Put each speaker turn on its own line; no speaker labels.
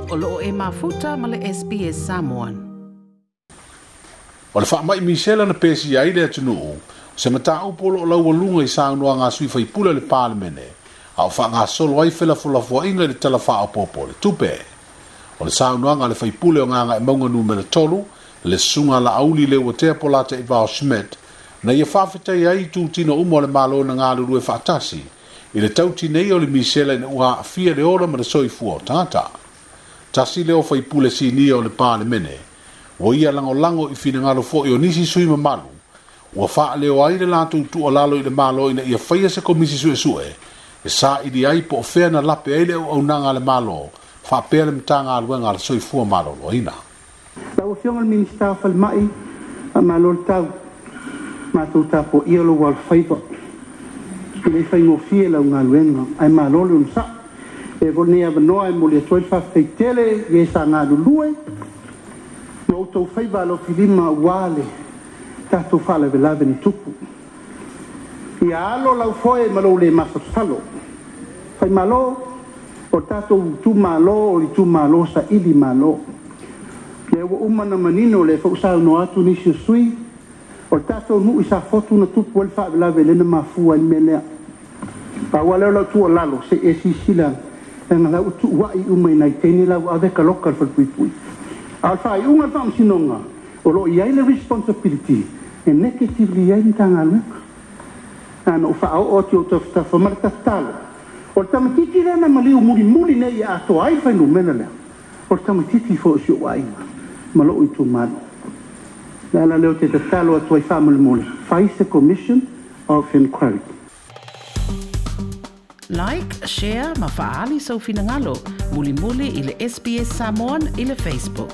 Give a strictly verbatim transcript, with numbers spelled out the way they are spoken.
O loo e mafuta ma le S B S Samoan.
O le faamai misela na pesi ai le atunuu, se mataupu o loo laualuga i saunoaga a sui faipule o le Palemene, a o faagasolo ai felafolafoaiga i le Tala Faaopoopo o le Tupe. O le saunoaga a le faipule o Gagaemauga numera tolu, le susuga Laauli Leuatea Polataivao Schmidt, na ia faafetai ai i tutino uma o le Malo na galulue faatasi, i le tautinei o le misela ina ua aafia le ola ma le soifua o tagata. Tasi lea o faipule sinia o le Palemene, ua ia lagolago i finagalo foi o nisi sui mamalu, ua faaleo ai le latou tuualalo i le Malo ina ia faia se komisi suesue, e saili ai po o fea na lape ai le auaunaga a le Malo, faapea le Matagaluega a le Soifua Maloloina.
Lau Afioga i le Minisita o Falemai, faamalo le tau, matou tapuaia lou alofaiva. E le faigofie lau galuega, ae malo le onosai. E foi lenei avanoa e momoli atu ai le faafetai tele i e sa galulue ma outou faiva alofilima aua le tatou faalavelave na tupu. Ia alo lau foe ma lou le masalosalo. Faimalo o tatou itumalo o le itumalo saili malo. Lea ua uma na manino le foi saunoa atu nisi o sui, o le tatou nuu i Safotu na tupu ai le faalavelave lea na mafua ai le mea lea. Pau lava lea o lau tuualalo, se i e silasila, leaga la ua tuuai uma i nai teine la ua ave kaloka le falepuipui. A o le faaiuga o le faamasinoga, o lo o i ai le responsibility e negatively ai le Matagaluega. Na ona ou faaoo atu i ou tafatafa ma le tatalo, o le tamaitiiti lea na maliu mulimuli nei e atoa ai le fuainumera lea, o le tamaitiiti foi o si ou aiga ma lou itumalo. Le ala lea ou te tatalo atu ai faamolemole, fai se Commission of Inquiry.
Like, share ma faali sau finagalo, mulimuli i le S B S Samoan i le Facebook.